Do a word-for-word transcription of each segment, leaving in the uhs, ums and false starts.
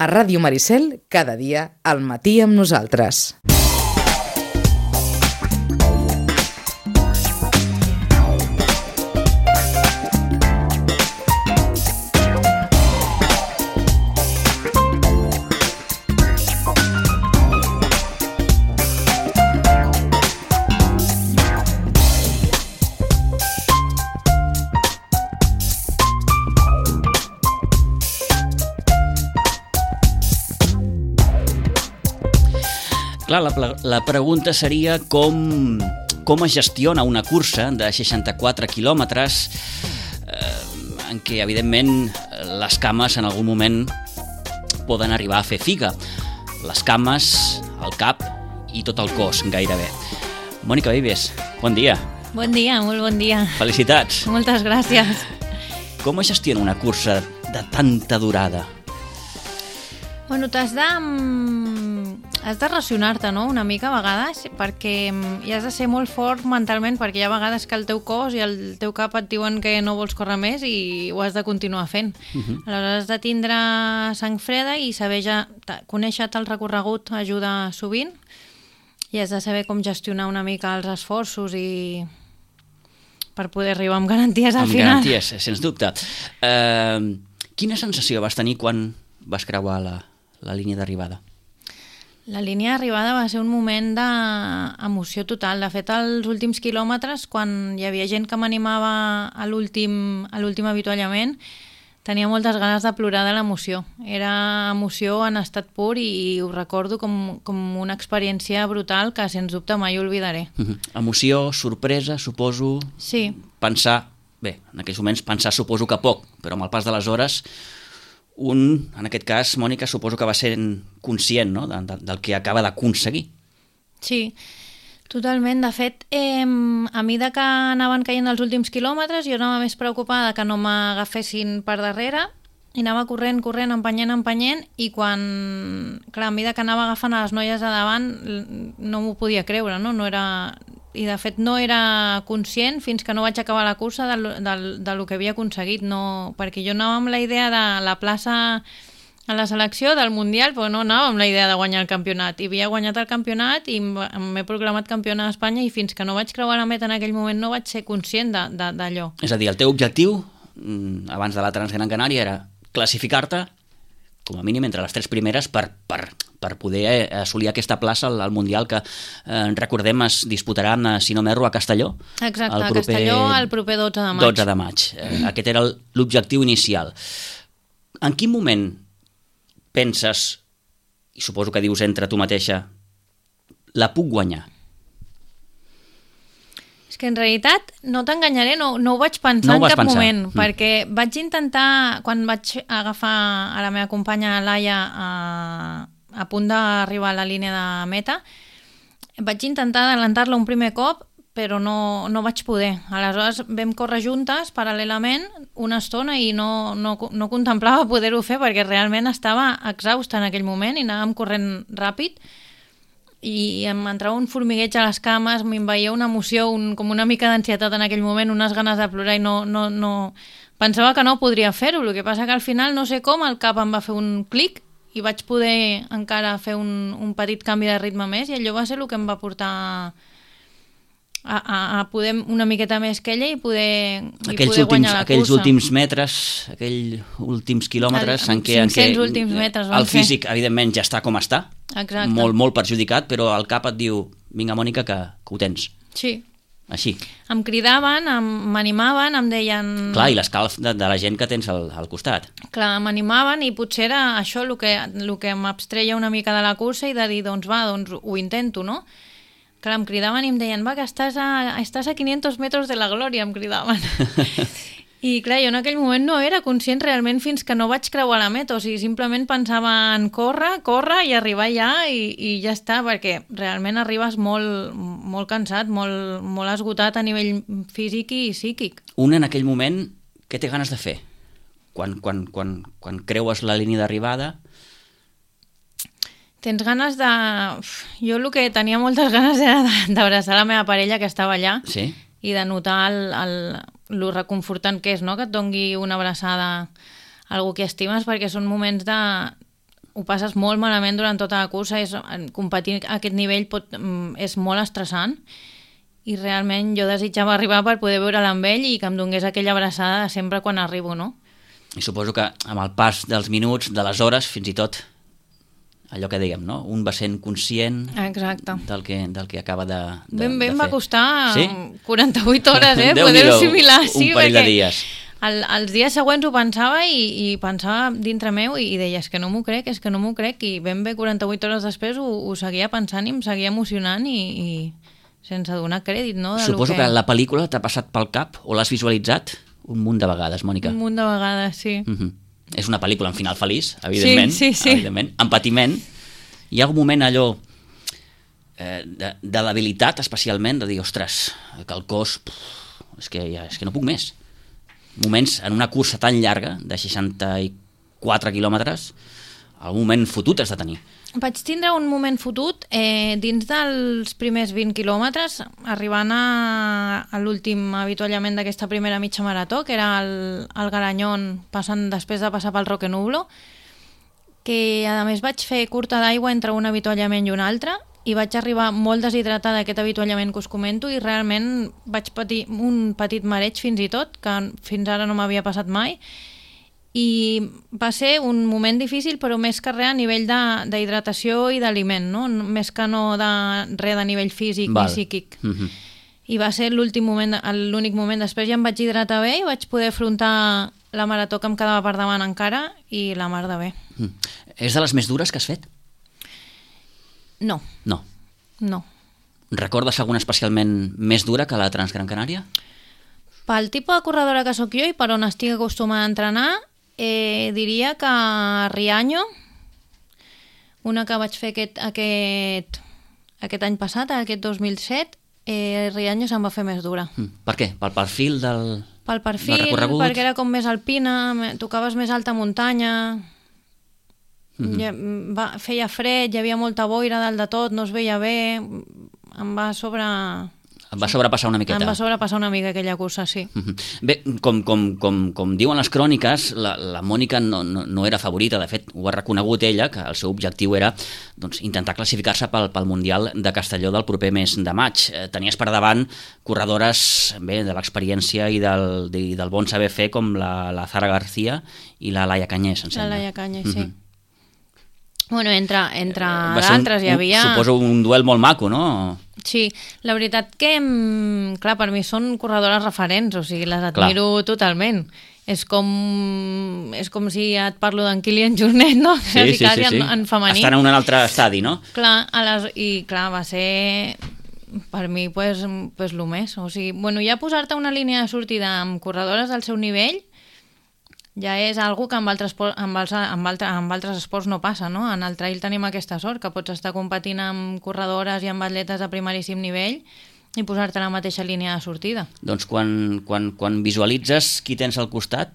A Ràdio Maricel, cada dia, al matí amb nosaltres. Clar, la, la pregunta seria com, com es gestiona una cursa de seixanta-quatre quilòmetres eh, en què, evidentment, les cames en algun moment poden arribar a fer figa. Les cames, el cap i tot el cos, gairebé. Mònica Vives, bon dia. Bon dia, molt bon dia. Felicitats. Moltes gràcies. Com es gestiona una cursa de tanta durada? Bueno, t'has de... has de racionar-te, no?, una mica a vegades, perquè hi has de ser molt fort mentalment, perquè hi ha vegades que el teu cos i el teu cap et diuen que no vols córrer més i ho has de continuar fent. Uh-huh. Aleshores has de tindre sang freda i saber ja... conèixer-te el recorregut ajuda sovint i has de saber com gestionar una mica els esforços i per poder arribar amb garanties al amb final. Amb garanties, sens dubte. Uh, quina sensació vas tenir quan vas creuar la, la línia d'arribada? La línia d'arribada va ser un moment d'emoció total. De fet, als últims quilòmetres, quan hi havia gent que m'animava a l'últim a l'últim avituallament, tenia moltes ganes de plorar de l'emoció. Era emoció en estat pur i, i ho recordo com, com una experiència brutal que, sens dubte, mai oblidaré. Uh-huh. Emoció, sorpresa, suposo... Sí. Pensar... Bé, en aquells moments pensar suposo que poc, però amb el pas de les hores... Un, en aquest cas, Mònica, suposo que va ser conscient, no?, de, de, del que acaba d'aconseguir. Sí, totalment. De fet, eh, a mesura que anaven caient els últims quilòmetres, jo anava més preocupada que no m'agafessin per darrere i anava corrent, corrent, empenyent, empenyent, i quan, clar, a mesura que anava agafant a les noies de davant, no m'ho podia creure, no? No era... I de fet no era conscient fins que no vaig acabar la cursa del, del, del que havia aconseguit, no, perquè jo anava amb la idea de la plaça a la selecció del Mundial, però no anava amb la idea de guanyar el campionat. I havia guanyat el campionat i m'he proclamat campiona d'Espanya i fins que no vaig creuar la meta en aquell moment no vaig ser conscient d'allò. És a dir, el teu objectiu abans de la Transgran Canària era classificar-te com a mínim entre les tres primeres per, per, per poder assolir aquesta plaça al, al Mundial que, eh, recordem, es disputaran, si no m'erro, a Castelló. Exacte, a Castelló el proper dotze de maig. dotze de maig. Eh, aquest era l'objectiu inicial. En quin moment penses, i suposo que dius entre tu mateixa, la puc guanyar? Que en realitat, no t'enganyaré, no, no ho vaig pensar no ho en cap pensar. moment, mm. perquè vaig intentar, quan vaig agafar a la meva companya Laia a, a punt d'arribar a la línia de meta, vaig intentar adelantar-la un primer cop, però no, no vaig poder. Aleshores vam córrer juntes, paral·lelament, una estona i no, no, no contemplava poder-ho fer perquè realment estava exhausta en aquell moment i anàvem corrent ràpid, i em entrava un formigueig a les cames, m'envaïa una emoció, un, com una mica d'ansietat en aquell moment, unes ganes de plorar i no, no, no... pensava que no podria fer-ho, el que passa que al final, no sé com, el cap em va fer un clic i vaig poder encara fer un, un petit canvi de ritme més i allò va ser el que em va portar a, a, a poder una miqueta més que ella i poder, i aquells poder últims, guanyar la aquells cursa. últims metres, aquells últims quilòmetres el, en què, en què últims metres el físic, fer. Evidentment, ja està com està. Exacte. Molt, molt perjudicat, però el cap et diu, vinga, Mònica, que, que ho tens. Sí. Així. Em cridaven, m'animaven, em deien... Clar, i l'escalf de, de la gent que tens al, al costat. Clar, m'animaven i potser era això el que, el que m'abstreia una mica de la cursa i de dir, doncs va, doncs ho intento, no? Clar, em cridaven i em deien, va, que estàs a, estàs a quinientos metros de la glòria, em cridaven. I clar, jo en aquell moment no era conscient realment fins que no vaig creuar la meta, o sigui, simplement pensava en córrer, córrer i arribar allà i, i ja està, perquè realment arribes molt, molt cansat, molt, molt esgotat a nivell físic i psíquic. Un en aquell moment, què té ganes de fer? Quan, quan, quan, quan creues la línia d'arribada... Tens ganes de... Jo el que tenia moltes ganes era d'abraçar la meva parella que estava allà, sí? I de notar el, el, el reconfortant que és, no?, que et dongui una abraçada a algú que estimes, perquè són moments de, ho passes molt malament durant tota la cursa, és, competir a aquest nivell pot, és molt estressant, i realment jo desitjava arribar per poder veure'l amb ell i que em donés aquella abraçada sempre quan arribo, no? I suposo que amb el pas dels minuts, de les hores, fins i tot allò que dèiem, no? Un va sent conscient Exacte. del que, del que acaba de, de, ben, ben de fer. Va costar sí? quaranta-vuit hores, eh? Poder-ho assimilar, sí, un parell de perquè dies. el, els dies següents ho pensava i, i pensava dintre meu i, i deia, és que no m'ho crec, és que no m'ho crec, i ben bé quaranta-vuit hores després ho, ho seguia pensant i em seguia emocionant i, i sense donar crèdit, no? De Suposo que... que la pel·lícula t'ha passat pel cap o l'has visualitzat un munt de vegades, Mònica. Un munt de vegades, sí. Mm-hmm. És una pel·lícula amb final feliç, evidentment, sí, sí, sí. evidentment, amb patiment. Hi ha algun moment allò eh, de, de debilitat, especialment, de dir, ostres, que el cos, puf, és, que ja, és que no puc més. Moments en una cursa tan llarga, de seixanta-quatre quilòmetres, algun moment fotut has de tenir. Vaig tindre un moment fotut eh, dins dels primers vint quilòmetres, arribant a, a l'últim avituallament d'aquesta primera mitja marató, que era el, el Garanyón, passant, després de passar pel Roque Nublo, que a més vaig fer curta d'aigua entre un avituallament i un altre, i vaig arribar molt deshidratada a aquest avituallament que us comento, i realment vaig patir un petit mareig fins i tot, que fins ara no m'havia passat mai, i va ser un moment difícil, però més que res a nivell d'hidratació i d'aliment, no? Més que no de res de nivell físic Val. Ni psíquic. Mm-hmm. I va ser l'últim moment, l'únic moment. Després ja em vaig hidratar bé i vaig poder afrontar la marató que em quedava per davant encara, i la mar de bé. Mm. És de les més dures que has fet? No. No. No. Recordes alguna especialment més dura que la Transgran Canària? Pel tipus de corredora que sóc jo i per on estic acostumada a entrenar, Eh, diria que Riaño, una que vaig fer aquest, aquest, aquest any passat, aquest dos mil set, eh, Riaño se'm va fer més dura. Mm. Per què? Pel perfil del, Pel perfil, del recorregut? Perquè era com més alpina, tocaves més alta muntanya, mm-hmm. ja, va, feia fred, hi havia molta boira dalt de tot, no es veia bé, em va sobre... Em va sobrepassar una miqueta. Em va sobrepassar una mica aquella cursa, sí. Bé, com, com, com, com diuen les cròniques, la, la Mònica no, no, no era favorita, de fet ho ha reconegut ella, que el seu objectiu era doncs, intentar classificar-se pel, pel Mundial de Castelló del proper mes de maig. Eh, tenies per davant corredores bé, de l'experiència i del, de, del bon saber fer, com la, la Zara García i la Laia Canyés, em sembla. La Laia Canyés, sí. Mm-hmm. Bueno, entre, entre eh, d'altres hi havia... Un, suposo un duel molt maco, no? Sí, la veritat que, clar, per mi són corredores referents, o sigui, les admiro clar. Totalment. És com, és com si et parlo d'en Kilian Jornet, no? Sí, sí, sí, sí. En, en femení. Estan en un altre estadi, no? Clar, a les, i clar, va ser per mi pues, pues lo més. O sigui, bueno, ja posar-te una línia de sortida amb corredores del seu nivell ja és algo que amb altres, amb, els, amb, altre, amb altres esports no passa, no? En el trail tenim aquesta sort, que pots estar competint amb corredores i amb atletes de primeríssim nivell i posar-te a la mateixa línia de sortida. Doncs quan, quan, quan visualitzes qui tens al costat,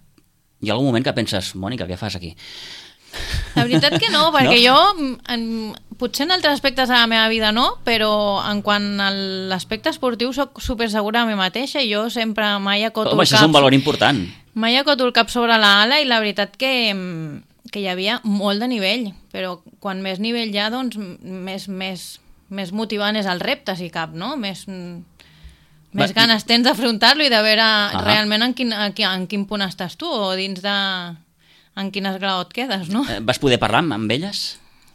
hi ha algun moment que penses, Mònica, què fas aquí? La veritat que no, perquè no? jo, en, potser en altres aspectes de la meva vida no, però en quant a l'aspecte esportiu soc super segura de mi mateixa i jo sempre mai acoto Home, això és un valor important. Mai acoto el cap sobre la ala i la veritat que, que hi havia molt de nivell, però quan més nivell hi ha, doncs més, més, més motivant és el repte, si cap, no? Més, més Va, ganes tens d'afrontar-lo i de veure uh-huh. realment en quin, en quin punt estàs tu o dins de... en quin esglaó et quedes, no? Eh, vas poder parlar amb, amb elles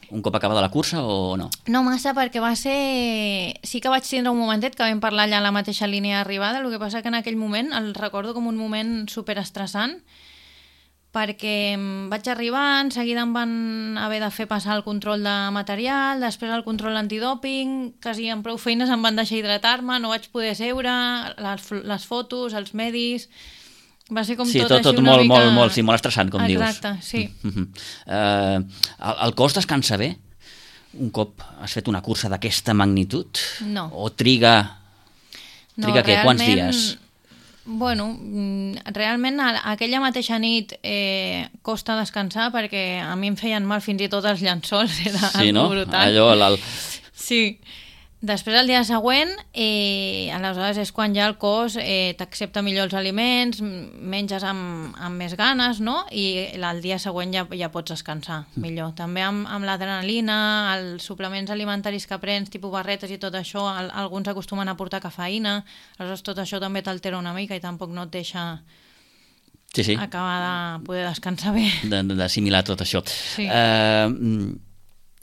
un cop acabada la cursa o no? No massa, perquè va ser... Sí que vaig tindre un momentet que vam parlar allà a la mateixa línia d'arribada, el que passa que en aquell moment el recordo com un moment superestressant, perquè vaig arribar, en seguida em van haver de fer passar el control de material, després el control antidòping, quasi amb prou feines em van deixar hidratar-me, no vaig poder seure, les, les fotos, els medis... Va ser com sí, tot, tot, tot així una molt, mica... molt, molt, sí, molt estressant, com Exacte, dius. Exacte, sí. Uh-huh. Uh, el, el cos descansa bé? Un cop has fet una cursa d'aquesta magnitud? No. O triga... Triga no, què? Quants dies? Bueno, realment aquella mateixa nit eh, costa descansar perquè a mi em feien mal fins i tot els llençols, era sí, no? brutal. Allò, el... Sí. Després, el dia següent, eh, aleshores és quan ja el cos eh, t'accepta millor els aliments, menges amb, amb més ganes, no? I el dia següent ja, ja pots descansar millor. També amb, amb l'adrenalina, els suplements alimentaris que prens, tipus barretes i tot això, el, alguns acostumen a portar cafeïna, aleshores tot això també t'altera una mica i tampoc no et deixa sí, sí. acabar de poder descansar bé. D'assimilar tot això. Sí. Uh,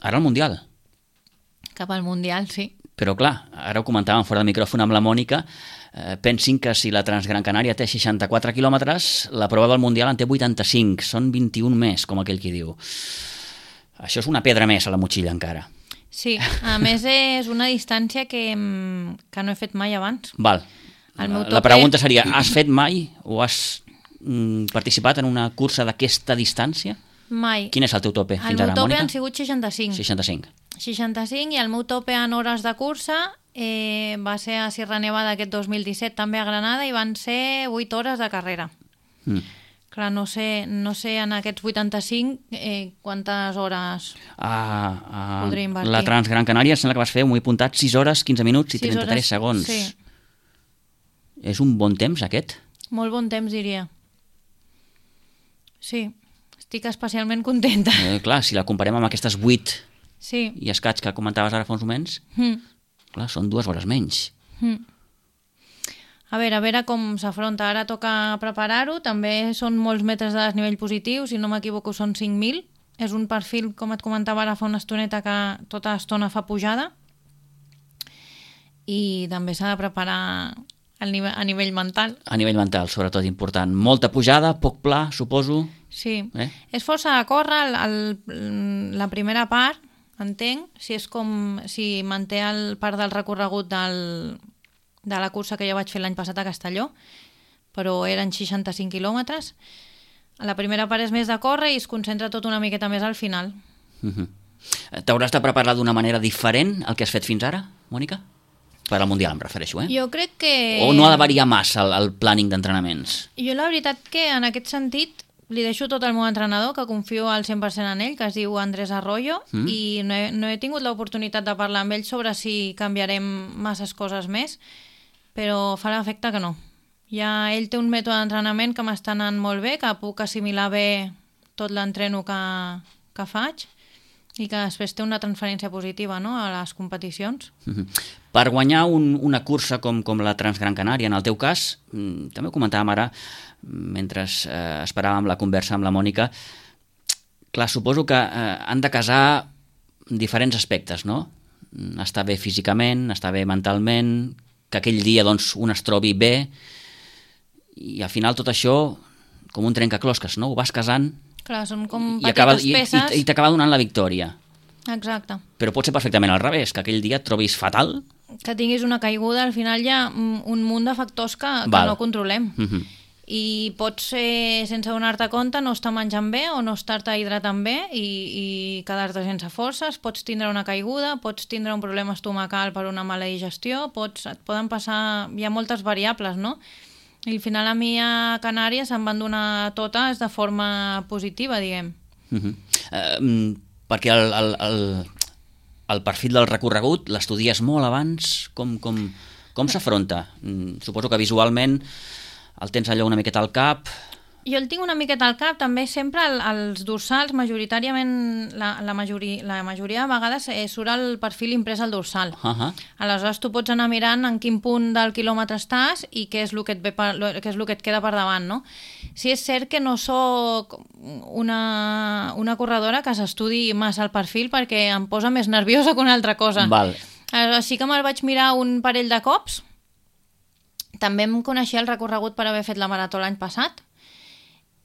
ara el Mundial. Cap al Mundial, sí. Però clar, ara ho comentàvem fora de micròfon amb la Mònica, eh, pensin que si la Transgran Canària té seixanta-quatre quilòmetres, la prova del Mundial en té vuitanta-cinc, són vint-i-un més, com aquell qui diu. Això és una pedra més a la motxilla encara. Sí, a més és una distància que, que no he fet mai abans. Val. El meu La tope... pregunta seria, has fet mai o has mm, participat en una cursa d'aquesta distància? Mai. Quin és el teu tope fins el ara, meu tope Mònica? han sigut seixanta-cinc. seixanta-cinc. seixanta-cinc i el meu tope en hores de cursa eh, va ser a Sierra Nevada aquest dos mil disset, també a Granada, i van ser vuit hores de carrera. Mm. Clar, no sé, no sé en aquests vuitanta-cinc eh, quantes hores Ah, ah, podria invertir. la Transgran Canària sembla que vas fer, m'ho he apuntat, sis hores, quinze minuts i sis trenta-tres hores, segons. sí. És un bon temps, aquest? Molt bon temps, diria. Sí, estic especialment contenta. Eh, clar, si la comparem amb aquestes vuit Sí. i escaig que comentaves ara fa uns moments, Mm. clar, són dues hores menys. Mm. A veure, a veure com s'afronta. Ara toca preparar-ho. També són molts metres de desnivell positiu, si no m'equivoco són cinc mil. És un perfil, com et comentava ara fa una estoneta, que tota l'estona fa pujada. I també s'ha de preparar a nivell, a nivell mental. A nivell mental, sobretot important. Molta pujada, poc pla, suposo. Sí. Eh? És força de córrer el, el, la primera part, entenc, si és com si manté el part del recorregut del, de la cursa que jo vaig fer l'any passat a Castelló, però eren seixanta-cinc quilòmetres. La primera part és més de córrer i es concentra tot una miqueta més al final. Uh-huh. T'hauràs de preparar d'una manera diferent al que has fet fins ara, Mònica? Per al Mundial em refereixo, eh? Jo crec que... O no ha de variar massa el, el planning d'entrenaments? Jo la veritat que en aquest sentit li deixo tot al meu entrenador, que confio al cent per cent en ell, que es diu Andrés Arroyo, mm. i no he, no he tingut l'oportunitat de parlar amb ell sobre si canviarem masses coses més, però fa l'efecte que no. Ja ell té un mètode d'entrenament que m'està anant molt bé, que puc assimilar bé tot l'entreno que, que faig i que després té una transferència positiva, no?, a les competicions. Mm-hmm. Per guanyar un, una cursa com, com la Transgran Canària, en el teu cas, mm, també ho comentàvem ara, mentre eh, esperàvem la conversa amb la Mònica, clar, suposo que eh, han de casar diferents aspectes, no? Estar bé físicament, estar bé mentalment, que aquell dia doncs, un es trobi bé, i al final tot això, com un trencaclosques, no? Ho vas casant Clar, són com i petites acaba, i, peces. i, i t'acaba donant la victòria. Exacte. Però pot ser perfectament al revés, que aquell dia et trobis fatal. Que tinguis una caiguda, al final hi ha un munt de factors que, que Val. no controlem. Mm-hmm. I pots, eh, sense donar-te compte, no estar menjant bé o no estar-te hidratant bé i, i quedar-te sense forces, pots tindre una caiguda, pots tindre un problema estomacal per una mala digestió, pots, et poden passar... Hi ha moltes variables, no? I al final a mi a Canàries em van donar totes de forma positiva, diguem. Mm-hmm. Uh, perquè el, el, el, el perfil del recorregut l'estudies molt abans? Com, com, com s'afronta? Mm, suposo que visualment el tens allò una miqueta al cap. Jo el tinc una miqueta al cap, també sempre el, els dorsals, majoritàriament, la, la, majoria, la majoria de vegades eh, surt el perfil imprès al dorsal. Uh-huh. Aleshores tu pots anar mirant en quin punt del quilòmetre estàs i què és el que et, ve per, què és el que et queda per davant, no? Sí, és cert que no sóc una, una corredora que s'estudi massa el perfil perquè em posa més nerviosa que una altra cosa. Val. Aleshores sí que me'l vaig mirar un parell de cops. També em coneixia el recorregut per haver fet la marató l'any passat,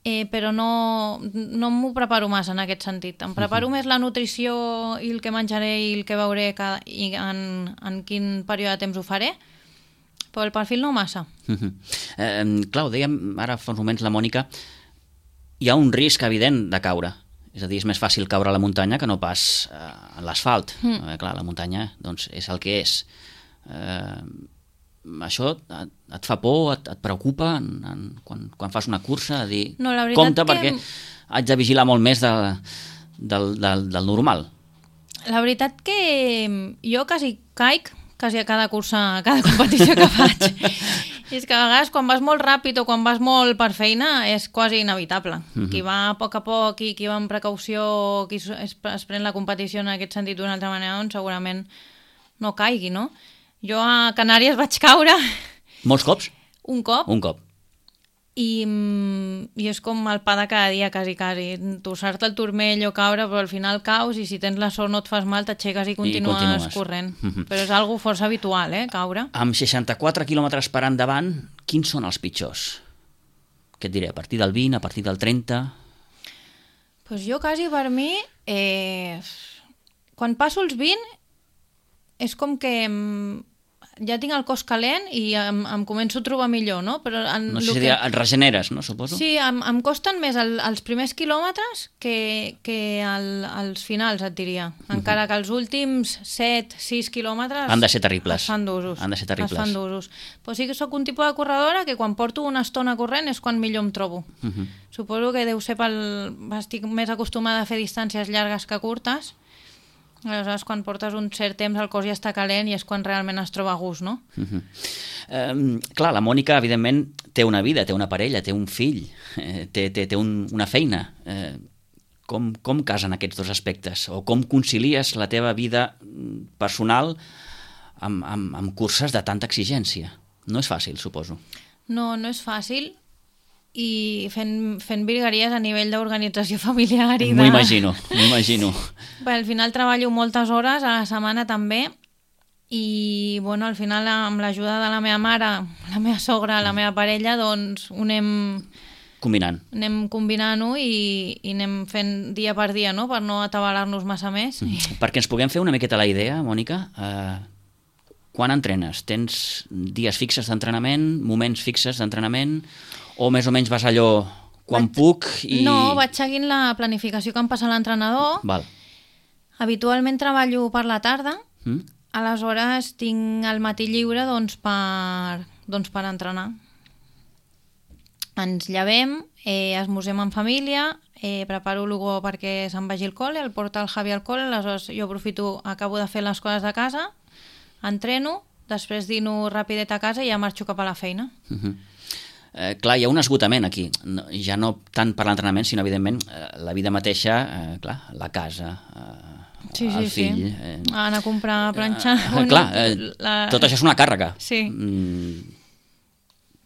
eh, però no, no m'ho preparo massa en aquest sentit. Em preparo uh-huh. més la nutrició i el que menjaré i el que veuré cada, i en, en quin període de temps ho faré, però el perfil no massa. Uh-huh. Eh, clar, ho dèiem ara fa uns moments la Mònica, hi ha un risc evident de caure. És a dir, és més fàcil caure a la muntanya que no pas eh, a l'asfalt. Mm. Eh, clar, la muntanya doncs, és el que és. Eh, això et, et fa por, et, et preocupa en, en, quan, quan fas una cursa, a dir, no, compte que... perquè haig de vigilar molt més de, del, del, del normal. La veritat que jo quasi caic quasi a cada cursa, a cada competició que faig. I és que a vegades quan vas molt ràpid o quan vas molt per feina és quasi inevitable. Uh-huh. Qui va a poc a poc i qui va amb precaució, qui es, es pren la competició en aquest sentit d'una altra manera, doncs segurament no caigui, no? Jo a Canàries vaig caure... Molts cops? Un cop. Un cop. I, i és com el pa de cada dia, quasi, quasi. Torçar-te el turmell o caure, però al final caus i si tens la sort no et fas mal, t'aixeques i continues, I continues. corrent. Uh-huh. Però és algo força habitual, eh, caure. Amb seixanta-quatre quilòmetres per endavant, quins són els pitjors? Què et diré, a partir del vint, a partir del trenta? Pues jo quasi per mi, eh, quan passo els vint, és com que ja tinc el cos calent i em, em començo a trobar millor, no? Però en no sé si que... et regeneres, no, suposo? Sí, em, em costen més el, els primers quilòmetres que, que el, els finals, et diria. Encara que els últims set sis quilòmetres... Han de ser terribles. Es fan d'usos. Han de ser terribles. Es fan d'usos. Però sí que sóc un tipus de corredora que quan porto una estona corrent és quan millor em trobo. Uh -huh. Suposo que deu ser pel... Estic més acostumada a fer distàncies llargues que curtes. Aleshores, quan portes un cert temps el cos ja està calent i és quan realment es troba a gust, no? Uh -huh. um, clar, la Mònica, evidentment, té una vida, té una parella, té un fill, eh, té, té, té un, una feina. Eh, com, com casen aquests dos aspectes? O com concilies la teva vida personal amb, amb, amb curses de tanta exigència? No és fàcil, suposo. No, no és fàcil. I fent, fent virgueries a nivell d'organització familiar i de... M'ho imagino, m'ho imagino. Bé, al final treballo moltes hores a la setmana també i bueno, al final amb l'ajuda de la meva mare, la meva sogra, la meva parella, doncs ho anem... Combinant. Anem combinant-ho i, i anem fent dia per dia, no?, per no atabalar-nos massa més. Mm. Perquè ens puguem fer una miqueta la idea, Mònica, eh, quan entrenes? Tens dies fixes d'entrenament, moments fixes d'entrenament... O més o menys vas allò quan vaig... puc i... No, vaig seguint la planificació que em passa l'entrenador. Val. Habitualment treballo per la tarda, mm? aleshores tinc el matí lliure doncs, per, doncs, per entrenar. Ens llevem, eh, esmorzem en família, eh, preparo l'Hugo perquè se'n vagi al col·le, el porta el Javi al col·le, aleshores jo aprofito, acabo de fer les coses de casa, entreno, després dino rapidet a casa i ja marxo cap a la feina. Mm-hmm. Eh, clar, hi ha un esgotament aquí, no, ja no tant per l'entrenament, sinó evidentment eh, la vida mateixa, eh, clar, la casa, eh, sí, el sí, fill... Sí. Eh, anar a comprar, a planxar... Eh, bueno, clar, eh, la... tot això és una càrrega. Sí. Mm,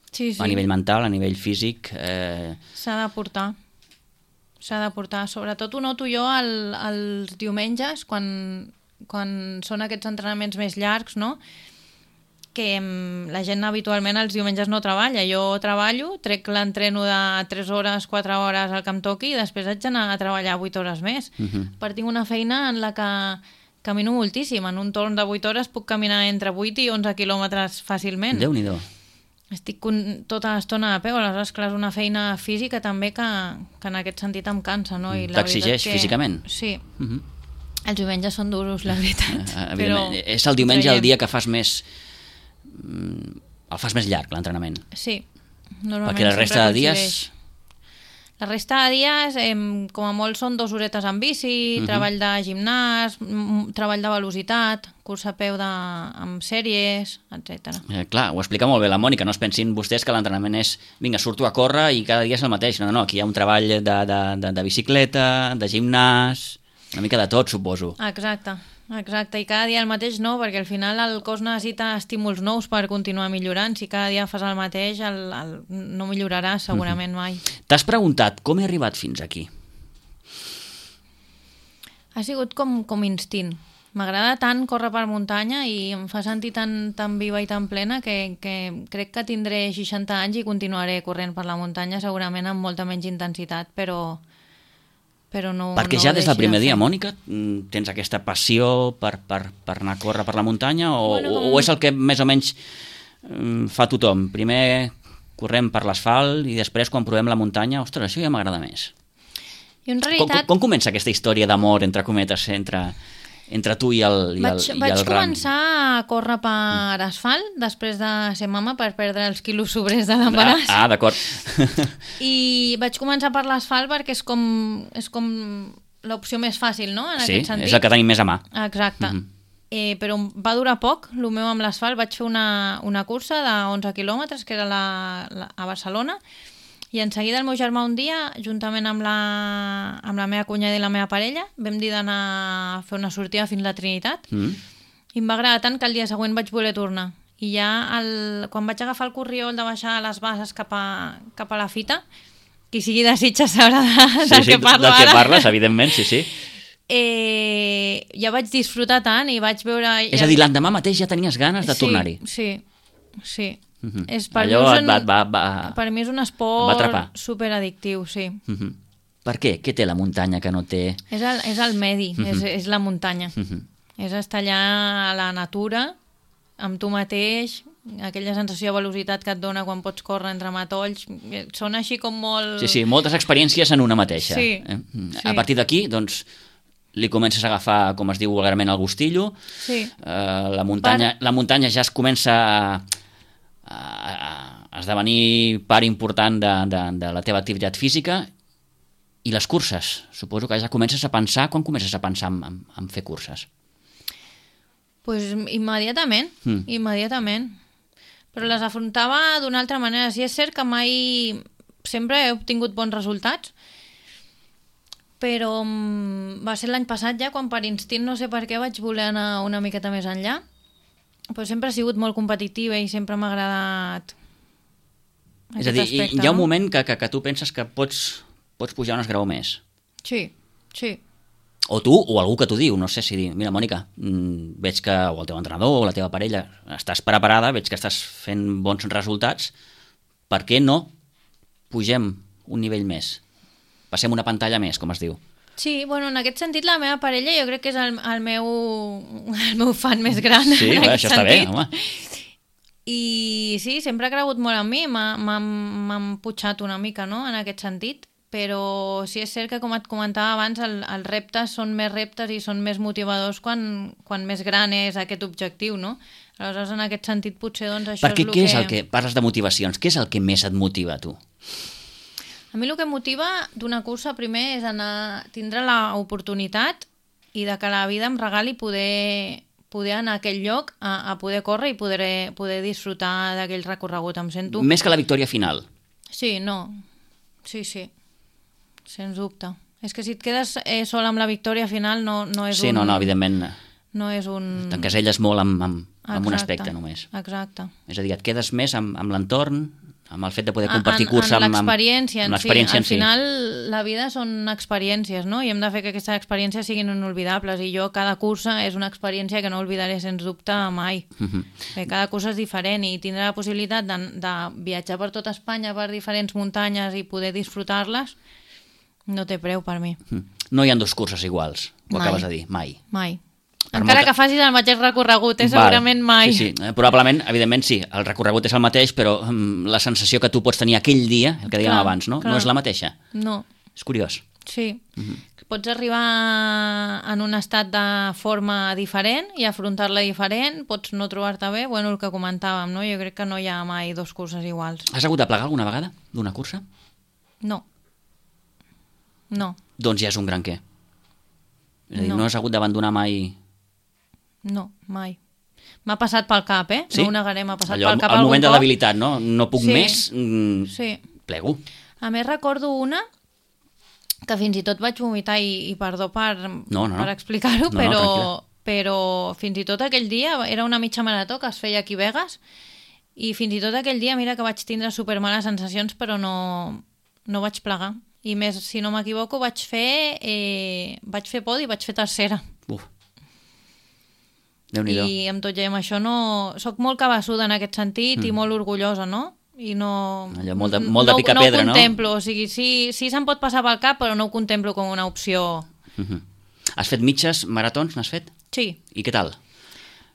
sí, sí. A nivell mental, a nivell físic... Eh... S'ha de portar. S'ha de portar. Sobretot ho noto jo el, els diumenges, quan, quan són aquests entrenaments més llargs, no?, que la gent habitualment els diumenges no treballa. Jo treballo, trec l'entreno de tres hores, quatre hores al que em toqui i després haig d'anar a treballar vuit hores més. Uh-huh. Per tinc una feina en la que camino moltíssim. En un torn de vuit hores puc caminar entre vuit i onze quilòmetres fàcilment. Déu-n'hi-do. Estic tota l'estona a peu, aleshores, clar, és una feina física també que, que en aquest sentit em cansa, no? T'exigeix que... físicament? Sí. Uh-huh. Els diumenges són duros, la veritat. Uh, però és el diumenge el dia que fas més... el fas més llarg, l'entrenament. Sí. Normalment perquè la resta de dies... La resta de dies, eh, com a molt, són dues horetes en bici, uh-huh. treball de gimnàs, treball de velocitat, curs a peu de, amb sèries, etcètera. Eh, clar, ho explica molt bé la Mònica, no es pensin vostès que l'entrenament és, vinga, surto a córrer i cada dia és el mateix. No, no, aquí hi ha un treball de, de, de, de bicicleta, de gimnàs, una mica de tot, suposo. Exacte. Exacte, i cada dia el mateix no, perquè al final el cos necessita estímuls nous per continuar millorant. Si cada dia fas el mateix, el, el, no milloraràs segurament mai. T'has preguntat com he arribat fins aquí? Ha sigut com, com instint. M'agrada tant córrer per muntanya i em fa sentir tan, tan viva i tan plena que, que crec que tindré seixanta anys i continuaré corrent per la muntanya, segurament amb molta menys intensitat, però... però no, perquè no ja des del primer de dia, Mònica, tens aquesta passió per, per, per anar a córrer per la muntanya o, bueno, com... o és el que més o menys fa tothom? Primer correm per l'asfalt i després quan provem la muntanya, ostres, això ja m'agrada més. I en realitat... Com, com comença aquesta història d'amor, entre cometes, entre, entre tu i el, i el, vaig, i vaig el ram? començar a córrer per asfalt després de ser mama per perdre els quilos sobrers de l'embaràs. Ah, ah d'acord. I vaig començar per l'asfalt perquè és com, és com l'opció més fàcil, no? En sí, aquest sentit. és el que tenim més a mà. Exacte. Mm-hmm. eh, però va durar poc, el meu amb l'asfalt. Vaig fer una, una cursa de onze quilòmetres, que era la, la, a Barcelona, i en seguida el meu germà un dia, juntament amb la, amb la meva cunyada i la meva parella, vam dir d'anar a fer una sortida fins a la Trinitat, mm. i em va agradar tant que el dia següent vaig voler tornar. I ja el, quan vaig agafar el corriol de baixar les bases cap a, cap a la fita, qui sigui de Sitges sabrà de, sí, del sí, que parlo del ara. que parles, evidentment, sí, sí. Eh, ja vaig disfrutar tant i vaig veure... És a dir, l'endemà mateix ja tenies ganes de sí, tornar-hi. Sí, sí. Uh-huh. És, per, Allò mi és un, va, va, va, per mi és un va esport atrapar. superaddictiu, sí. Uh-huh. Per què? Què té la muntanya que no té? És el, és el medi, uh-huh. és, és la muntanya. Uh-huh. És estar allà a la natura, amb tu mateix, aquella sensació de velocitat que et dona quan pots córrer entre matolls. Són així com molt... Sí, sí, moltes experiències en una mateixa. Sí, eh? sí. A partir d'aquí, doncs, li comences a agafar, com es diu vulgarment, el gustillo. Sí. Eh, la, muntanya, per... la muntanya ja es comença a, a, a esdevenir part important de, de, de la teva activitat física. I les curses? Suposo que ja comences a pensar... Quan comences a pensar en, en, en fer curses? Pues immediatament, mm. immediatament. Però les afrontava d'una altra manera. Sí, és cert que mai... Sempre he obtingut bons resultats, però va ser l'any passat ja, quan per instint, no sé per què, vaig voler anar una miqueta més enllà. Però sempre he sigut molt competitiva i sempre m'ha agradat aquest És a dir, aspecte, hi ha un no? moment que, que, que tu penses que pots, pots pujar un esgraó més. Sí, sí. O tu, o algú que t'ho diu, no sé si dir, mira, Mònica, mmm, veig que o el teu entrenador o la teva parella estàs preparada, veig que estàs fent bons resultats, per què no pugem un nivell més? Passem una pantalla més, com es diu. Sí, bueno, en aquest sentit la meva parella jo crec que és el, el, meu, el meu fan més gran. Sí, en bé, aquest això està bé, sentit. home. I sí, sempre ha cregut molt en mi, m'han putxat una mica, no?, en aquest sentit. Però sí és cert que, com et comentava abans, el, els reptes són més reptes i són més motivadors quan, quan més gran és aquest objectiu, no? Aleshores, en aquest sentit, potser doncs, això Perquè és el què que... és el que... Parles de motivacions, què és el que més et motiva, tu? A mi el que em motiva d'una cursa, primer, és anar, tindre l'oportunitat i de que la vida em regali poder, poder anar a aquell lloc, a, a poder córrer i poder, poder disfrutar d'aquell recorregut. Em sento... Més que la victòria final. Sí, no. Sí, sí. Sens dubte. És que si et quedes eh, sol amb la victòria final no, no és sí, un... no, no, evidentment. No és un... T'encaselles molt amb, amb, amb un Exacte, aspecte només. Exacte. És a dir, et quedes més amb, amb l'entorn, amb el fet de poder compartir en, cursa... En amb l'experiència en, amb si. Al si. final la vida són experiències, no? I hem de fer que aquestes experiències siguin inolvidables. I jo, cada cursa és una experiència que no oblidaré sens dubte mai. Uh -huh. Perquè cada cursa és diferent i tindré la possibilitat de, de viatjar per tota Espanya, per diferents muntanyes i poder disfrutar-les. No té preu per mi. No hi ha dos curses iguals, ho mai. acabes de dir, mai. Mai. Per Encara molta... que facis el mateix recorregut, eh? Segurament mai. Sí, sí, probablement, evidentment sí, el recorregut és el mateix, però um, la sensació que tu pots tenir aquell dia, el que dèiem clar, abans, no? Clar. No és la mateixa. No. És curiós. Sí. Uh -huh. Pots arribar en un estat de forma diferent i afrontar-la diferent, pots no trobar-te bé, bueno, el que comentàvem, no? Jo crec que no hi ha mai dos curses iguals. Has hagut de plegar alguna vegada d'una cursa? No. No. Doncs ja és un gran què. És a dir, no, no has hagut d'abandonar mai... No, mai. M'ha passat pel cap, eh? Sí? No ho negaré, m'ha passat Allò, pel cap el algun moment cop. de debilitat, no? No puc sí. més, mm, sí. plego. A més, recordo una que fins i tot vaig vomitar i, i perdó per, no, no, no. per explicar-ho, no, però, no, però fins i tot aquell dia era una mitja marató que es feia aquí a Begues i fins i tot aquell dia mira que vaig tindre supermales sensacions, però no, no vaig plegar. I més, si no m'equivoco, vaig fer eh, vaig fer podi i vaig fer tercera. Uf. Déu-n'hi-do. I amb tot i amb això no... Soc molt cabassuda en aquest sentit mm. i molt orgullosa, no? I no... Allò, molt de, molt de picar pedra, no? No ho contemplo, no? O sigui, sí, sí se'm pot passar pel cap, però no ho contemplo com una opció. Mm-hmm. Has fet mitges maratons, n'has fet? Sí. I què tal?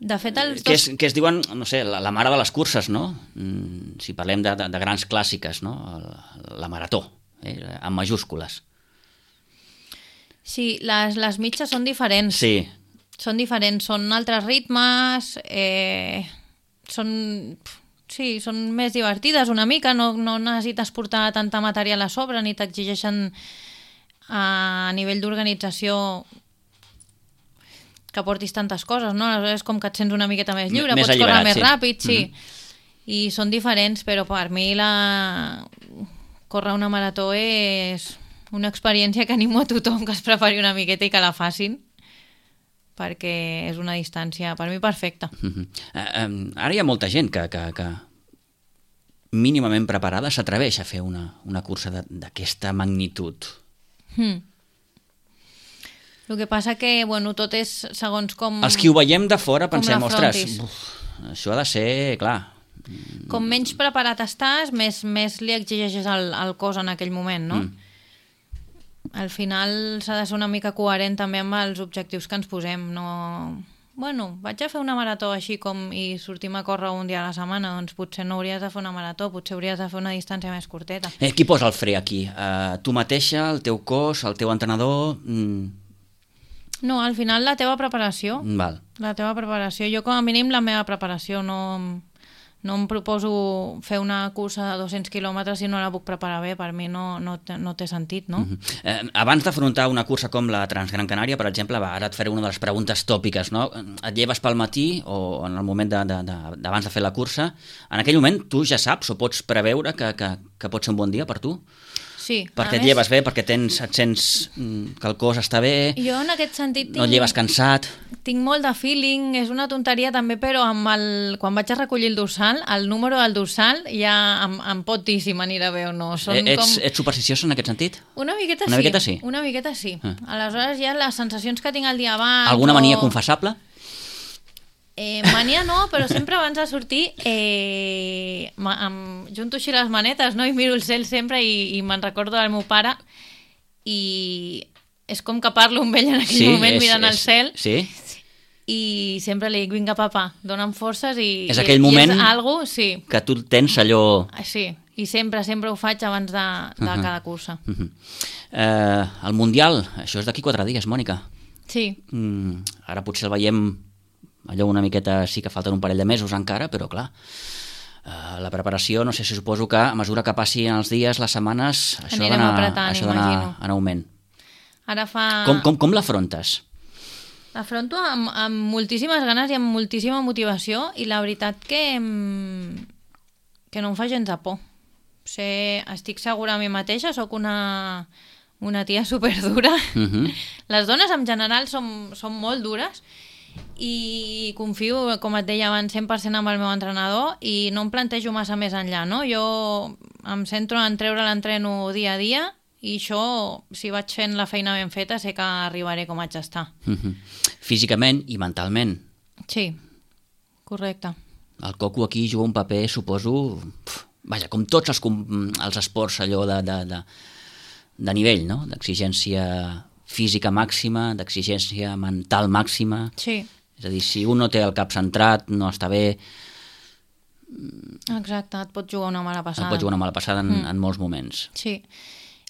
De fet, els que, dos... es, que es diuen, no sé, la, la mare de les curses, no? Mm, si parlem de, de, de grans clàssiques, no? La, la marató, eh? Amb majúscules. Sí, les, les mitges són diferents. Sí. Són diferents, són altres ritmes, eh, són... Sí, són més divertides una mica, no, no necessites portar tanta material a sobre, ni t'exigeixen a nivell d'organització que portis tantes coses, no? Aleshores com que et sents una miqueta més lliure, més pots córrer més sí. ràpid, sí. Mm-hmm. I són diferents, però per mi la... córrer una marató és una experiència que animo a tothom que es prepari una miqueta i que la facin, perquè és una distància, per mi, perfecta. Mm-hmm. Uh, um, ara hi ha molta gent que, que, que mínimament preparada s'atreveix a fer una, una cursa d'aquesta magnitud. Hmm. El que passa que, bueno, tot és segons com... Els que ho veiem de fora pensem, ostres, l'afrontis. uf, això ha de ser, clar... Com menys preparat estàs, més, més li exigeixes al, al cos en aquell moment, no? Mm. Al final s'ha de ser una mica coherent també amb els objectius que ens posem, no... Bueno, vaig a fer una marató així com i sortim a córrer un dia a la setmana, doncs potser no hauries de fer una marató, potser hauries de fer una distància més curteta. Eh, qui posa el fre aquí? Uh, tu mateixa, el teu cos, el teu entrenador... Mm. No, al final la teva preparació. Val. La teva preparació. Jo com a mínim la meva preparació. No, no em proposo fer una cursa de dos-cents quilòmetres si no la puc preparar bé. Per mi no, no, té, no té sentit, no? Mm-hmm. eh, abans d'afrontar una cursa com la Transgran Canària, per exemple, va, ara et faré una de les preguntes tòpiques, no? Et lleves pel matí o en el moment de, de, de, d'abans de fer la cursa, en aquell moment tu ja saps o pots preveure que, que, que pot ser un bon dia per tu? Sí. Perquè et lleves bé, perquè tens, et sents que el cos està bé, jo en aquest sentit tinc, no et lleves cansat... Tinc molt de feeling, és una tonteria també, però amb el, quan vaig a recollir el dorsal, el número del dorsal ja em, em pot dir si m'anirà bé o no. Són eh, ets, com... ets supersticiós en aquest sentit? Una miqueta una sí. Miqueta sí. Una miqueta sí. Ah. Aleshores ja les sensacions que tinc el dia abans... Alguna mania o... confessable? Eh, mania no, però sempre abans de sortir eh, em junto així les manetes, no? I miro el cel sempre i, i me'n recordo del meu pare i és com que parlo amb ell en aquell sí, moment és, mirant és, el cel sí. i sempre li dic, vinga papa, dona'm forces i, és aquell moment i és algo, sí. que tu tens allò... Sí, i sempre, sempre ho faig abans de, de uh-huh. cada cursa. Uh-huh. eh, el Mundial, això és d'aquí quatre dies, Mònica. Sí. Mm, ara potser el veiem allò una miqueta, sí que falten un parell de mesos encara, però clar, uh, la preparació, no sé si suposo que a mesura que passin els dies, les setmanes, això anirem d'anar, apretant, això d'anar imagino. en augment. Ara fa... Com, com, com l'afrontes? L'afronto amb, amb moltíssimes ganes i amb moltíssima motivació i la veritat que, que no em fa gens de por. O sigui, estic segura a mi mateixa, sóc una, una tia superdura. Uh-huh. Les dones en general són, són molt dures i confio, com et deia abans, cent per cent amb el meu entrenador i no em plantejo massa més enllà, no? Jo em centro en treure l'entreno dia a dia i això, si vaig fent la feina ben feta, sé que arribaré com haig d'estar. Uh-huh. Físicament i mentalment. Sí, correcte. El coco aquí juga un paper, suposo, pf, vaja, com tots els, els esports allò de, de, de, de nivell, no? D'exigència física màxima, d'exigència mental màxima. Sí. És a dir, si un no té el cap centrat, no està bé... Exacte, et pot jugar una mala passada. Et pot jugar una mala passada en, mm. en molts moments. Sí.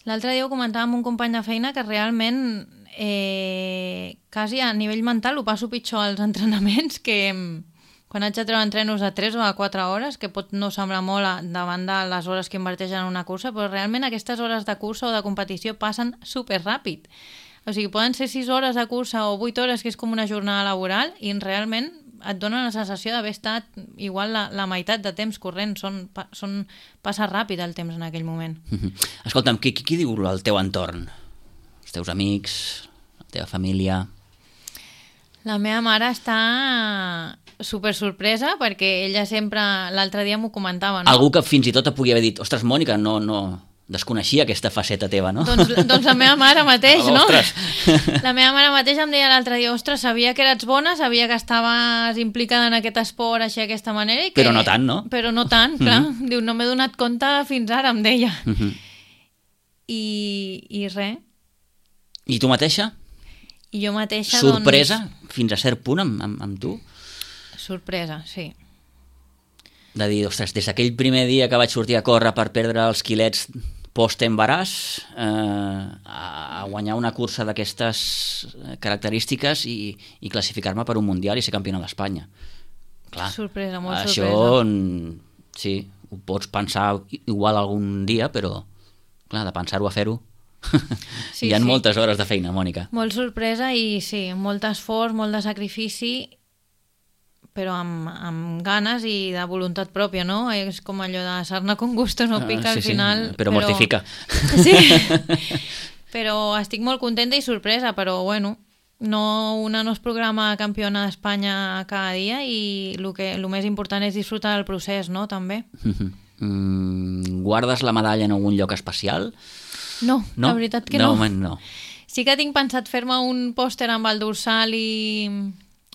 L'altre dia ho comentava amb un company de feina que realment eh, quasi a nivell mental ho passo pitjor als entrenaments que quan haig de treure entrenos de tres o de quatre hores, que pot no semblar molt a, davant de les hores que inverteixen en una cursa, però realment aquestes hores de cursa o de competició passen superràpid. O sigui, poden ser sis hores de cursa o vuit hores, que és com una jornada laboral, i realment et dona la sensació d'haver estat igual la, la meitat de temps corrent. Són, són, passa ràpid el temps en aquell moment. Escolta'm, qui, qui, qui diu el teu entorn? Els teus amics, la teva família... La meva mare està super sorpresa perquè ella sempre, l'altre dia m'ho comentava, no? Algú que fins i tot et pugui haver dit, ostres, Mònica, no, no desconeixia aquesta faceta teva, no? Doncs, doncs la meva mare mateix, no? Ostres! La meva mare mateix em deia l'altre dia, ostres, sabia que eres bona, sabia que estaves implicada en aquest esport així d'aquesta manera i que... Però no tant, no? Però no tant, clar. Mm-hmm. Diu, no m'he donat compte fins ara, em deia. Mm-hmm. I, i res. I tu mateixa? I jo mateixa, sorpresa, doncs... fins a cert punt amb, amb, amb tu? Sorpresa, sí. De dir, ostres, des d'aquell primer dia que vaig sortir a córrer per perdre els quilets post-embaràs eh, a guanyar una cursa d'aquestes característiques i, i classificar-me per un mundial i ser campiona d'Espanya. Clar, sorpresa, molt això, sorpresa. Sí, ho pots pensar igual algun dia, però clar, de pensar-ho a fer-ho... Sí, Hi ha sí. moltes hores de feina, Mònica. Molt sorpresa i sí, molt esforç, molt de sacrifici, però amb, amb ganes i de voluntat pròpia, no? És com allò de sarna con gusto no pica Ah, al sí, sí, final. però mortifica. Sí, però estic molt contenta i sorpresa, però bueno, no, una no es programa campiona d'Espanya cada dia i el que el més important és disfrutar del procés, no? També. Mm, guardes la medalla en algun lloc especial? No, No? la veritat que de no. moment no. Sí que tinc pensat fer-me un pòster amb el dorsal i,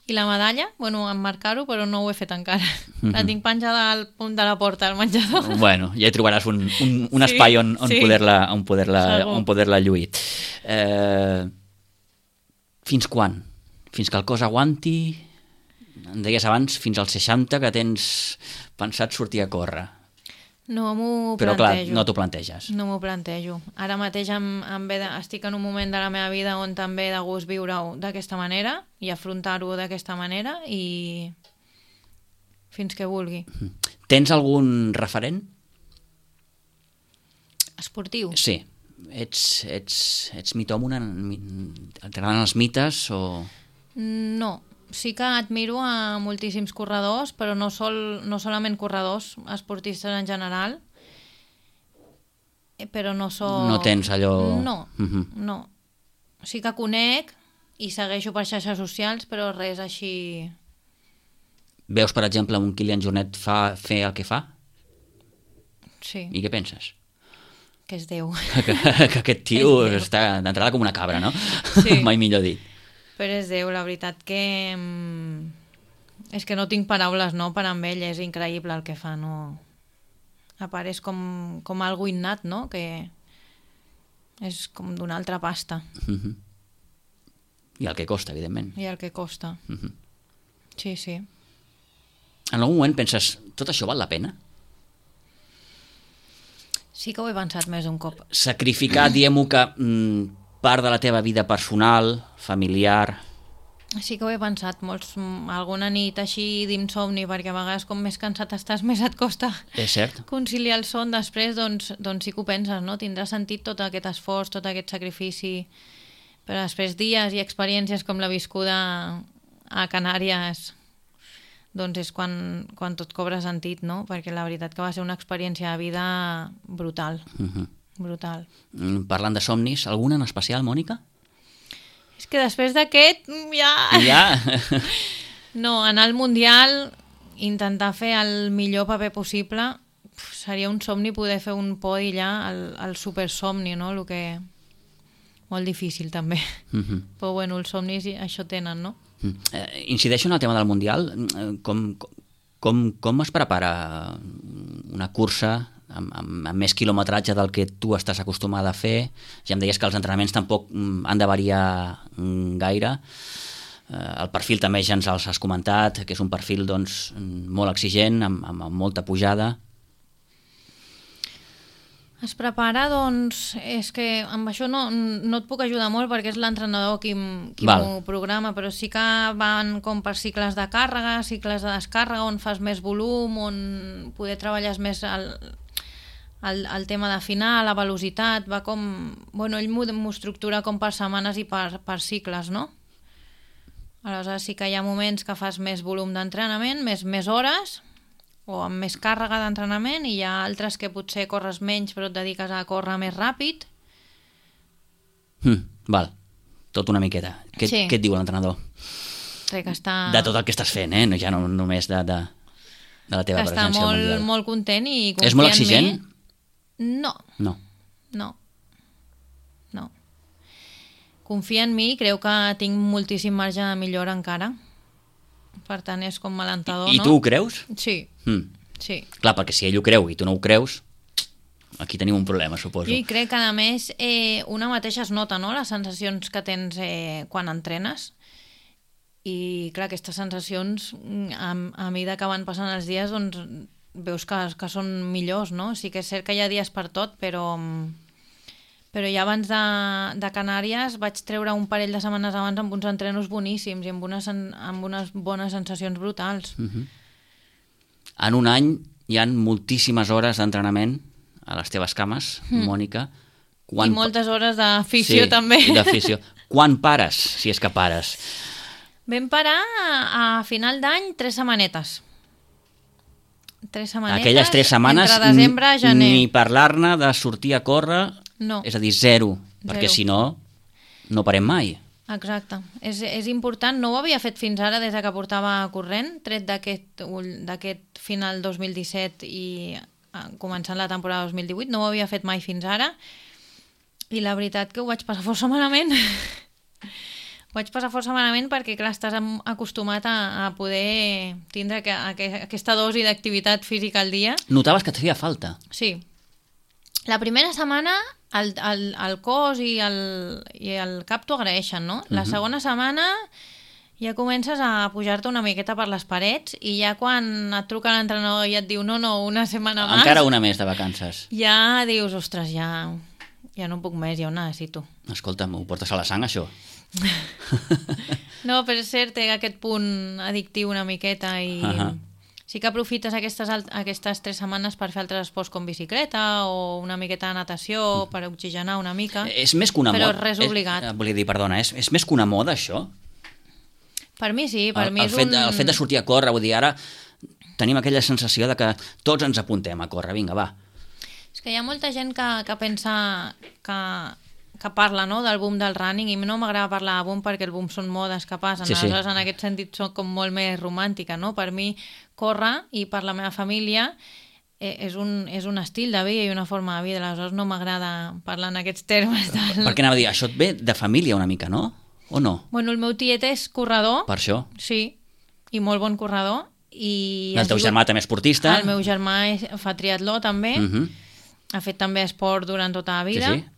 i la medalla, bueno, emmarcar-ho, però no ho he fet encara. La tinc penjada al punt de la porta al menjador. Bueno, ja hi trobaràs un, un, un Sí, espai on, on sí. poder-la on poder-la Segur. on poder-la lluir. Eh, fins quan? Fins que el cos aguanti? Em deies abans, fins als seixanta, que tens pensat sortir a córrer. No m'ho Però clar, plantejo. no t'ho planteges. No m'ho plantejo. Ara mateix em, em ve de, estic en un moment de la meva vida on també de gust viure-ho d'aquesta manera i afrontar-ho d'aquesta manera i fins que vulgui. Tens algun referent? Esportiu? Sí. Ets, ets, ets mitòmona? T'agraden els mites o... No. Sí que admiro a moltíssims corredors, però no, sol, no solament corredors, esportistes en general, eh, però no sóc... No tens allò... No, Mhm. no. Sí que conec i segueixo per xarxes socials, però res així... Veus, per exemple, un Kilian Jornet fa, fer el que fa? Sí, I què penses? que és Déu. Que, que aquest tio És Déu. està d'entrada com una cabra, no? Sí. Mai millor dit. Però és Déu, la veritat que... mm, és que no tinc paraules, no?, per amb ell, és increïble el que fa, no... A part, és com, com algo innat, no?, que és com d'una altra pasta. Mhm. I el que costa, evidentment. I el que costa. Mhm. Sí, sí. En algun moment penses, tot això val la pena? Sí que ho he pensat més d'un cop. Sacrificar, diguem-ho que, mm, part de la teva vida personal, familiar... Sí que ho he pensat molts, alguna nit així d'insomni, perquè a vegades com més cansat estàs, més et costa És cert? conciliar el son després, doncs, doncs sí que ho penses, no? Tindrà sentit tot aquest esforç, tot aquest sacrifici, però després dies i experiències com la viscuda a Canàries, doncs és quan, quan tot cobra sentit, no? Perquè la veritat que va ser una experiència de vida brutal, Mhm. brutal. Mm, Parlant de somnis, algun en especial, Mònica? És que després d'aquest, mm, ja... Ja? No, anar al Mundial, intentar fer el millor paper possible, uf, seria un somni poder fer un podi ja, el, el supersomni, no? El que... Molt difícil, també. Mhm. Però bueno, els somnis i això tenen, no? Mm. Eh, incideixo en el tema del Mundial. Eh, Com, com, com es prepara una cursa amb, amb, amb més quilometratge del que tu estàs acostumada a fer? Ja em deies que els entrenaments tampoc mm, han de variar mm, gaire. Eh, el perfil també ja ens els has comentat, que és un perfil doncs, mm, molt exigent, amb, amb, amb molta pujada. Es prepara, doncs, és que amb això no, no et puc ajudar molt perquè és l'entrenador qui, m- qui Val. m'ho programa, però sí que van com per cicles de càrrega, cicles de descàrrega, on fas més volum, on poder treballes més el, el, el tema d'afinar, la velocitat, va com... Bueno, ell m'ho m'ho estructura com per setmanes i per, per cicles, no? Aleshores sí que hi ha moments que fas més volum d'entrenament, més, més hores, o amb més càrrega d'entrenament, i hi ha altres que potser corres menys però et dediques a córrer més ràpid. Mm, val, tot una miqueta. Què, Sí. què et diu l'entrenador? Crec que està, De tot el que estàs fent, eh? No, ja no només de, de, de la teva que està presència al molt, Mundial. molt content i confia És molt en exigent? mi. No, No. no, no. Confia en mi i creu que tinc moltíssim marge de millora encara. Per tant, és com alentador, I no? tu ho creus? Sí, Mm. sí. Clar, perquè si ell ho creu i tu no ho creus, aquí tenim un problema, suposo. Jo hi crec que, a més, eh, una mateixa es nota, no?, les sensacions que tens eh, quan entrenes. I, clar, aquestes sensacions, mm, a, a mesura que van passant els dies, doncs, veus que, que són millors, no? Sí que és cert que hi ha dies per tot, però, però ja abans de, de Canàries vaig treure un parell de setmanes abans amb uns entrenos boníssims i amb unes, amb unes bones sensacions brutals. Mhm. En un any hi han moltíssimes hores d'entrenament a les teves cames, Mm. Mònica. Quan... I moltes hores d'afició sí, també. I d'afició. Quan pares, si és que pares? Vam parar a final d'any tres setmanetes. Tres setmanetes. Aquelles tres setmanes entre desembre i gener. Ni parlar-ne de sortir a córrer, no. És a dir, zero, zero. Perquè si no, no parem mai. Exacte. És, és important, no ho havia fet fins ara des que portava corrent, tret d'aquest final dos mil disset i començant la temporada dos mil divuit, no ho havia fet mai fins ara, i la veritat que ho vaig passar força malament. Ho vaig passar força malament perquè, clar, estàs acostumat a, a poder tindre que, a, que, aquesta dosi d'activitat física al dia. Notaves que et feia falta? Sí. La primera setmana el, el, el cos i el, i el cap t'ho agraeixen, no? La uh-huh. segona setmana ja comences a pujar-te una miqueta per les parets i ja quan et truca l'entrenador i et diu no, no, una setmana més... Encara una més de vacances. Ja dius, ostres, ja, ja no puc més, ja ho necessito. Escolta'm, ho portes a la sang, això? No, però és cert, té aquest punt addictiu una miqueta i... Uh-huh. Sí que aprofites aquestes, aquestes tres setmanes per fer altres esports com bicicleta o una miqueta de natació per oxigenar una mica, és més que una però moda. Res obligat. És, volia dir, perdona, és, és més que una moda, això? Per mi sí, per el, mi el és fet, un... El fet de sortir a córrer, vull dir, ara tenim aquella sensació de que tots ens apuntem a córrer, vinga, va. És que hi ha molta gent que, que pensa que... que parla, no?, del boom del running, i no m'agrada parlar de boom perquè el boom són modes que passen, sí, sí. Aleshores en aquest sentit soc com molt més romàntica, no? Per mi córrer, i per la meva família, eh, és, un, és un estil de vida i una forma de vida, aleshores no m'agrada parlar en aquests termes. Del... Per què anava a dir? Això et ve de família una mica, no? O no? Bueno, el meu tiet és corredor. Per això? Sí, i molt bon corredor. I el teu sigut... germà també esportista? El meu germà és, fa triatló també, uh-huh. ha fet també esport durant tota la vida. Sí, sí.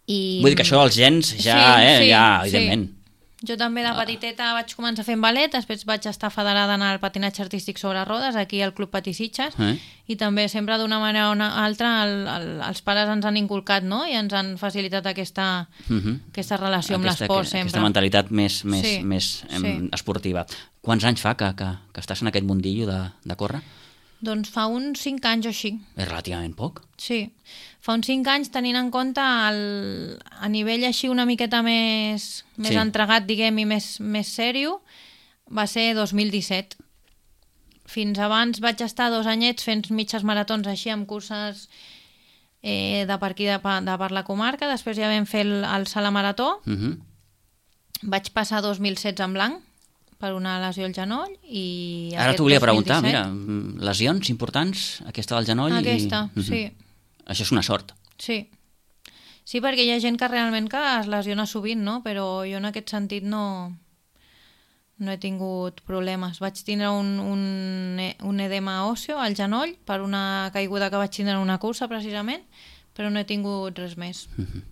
I... Vull dir que això dels gens ja, sí, eh, sí, ja, evidentment. Sí. Jo també de petiteta vaig començar fent ballet, després vaig estar federada en el patinatge artístic sobre rodes, aquí al Club Patí Sitges, eh? I també sempre d'una manera o una altra el, el, els pares ens han inculcat, no?, i ens han facilitat aquesta, uh-huh. aquesta relació amb l'esport sempre. Aquesta mentalitat més, més, sí, més em, sí. esportiva. Quants anys fa que, que, que estàs en aquest mundillo de, de córrer? Doncs fa uns cinc anys o així. És relativament poc. Sí, fa uns cinc anys tenint en compte el, a nivell així una miqueta més, més sí. entregat, diguem, i més, més sèrio, va ser dos mil disset. Fins abans vaig estar dos anyets fent mitges maratons així amb curses eh, de per aquí, de, de per la comarca, després ja vam fer el, el Sala Marató, uh-huh. vaig passar dos mil setze en blanc, per una lesió al genoll i... Ara t'ho volia preguntar, mira, lesions importants, aquesta del genoll... Aquesta, i... uh-huh. sí. Això és una sort. Sí. Sí, perquè hi ha gent que realment que es lesiona sovint, no? Però jo en aquest sentit no, no he tingut problemes. Vaig tindre un, un, un edema òsseo al genoll per una caiguda que vaig tindre en una cursa, precisament, però no he tingut res més. Uh-huh.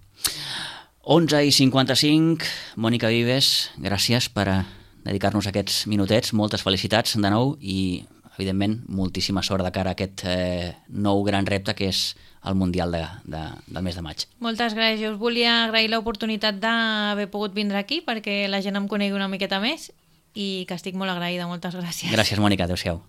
onze i cinquanta-cinc, Mònica Vives, gràcies per a dedicar-nos aquests minutets, moltes felicitats de nou i, evidentment, moltíssima sort de cara a aquest eh, nou gran repte que és el Mundial de, de, del mes de maig. Moltes gràcies. Us volia agrair l'oportunitat d'haver pogut vindre aquí perquè la gent em conegui una miqueta més i que estic molt agraïda. Moltes gràcies. Gràcies, Mònica. Adéu-siau.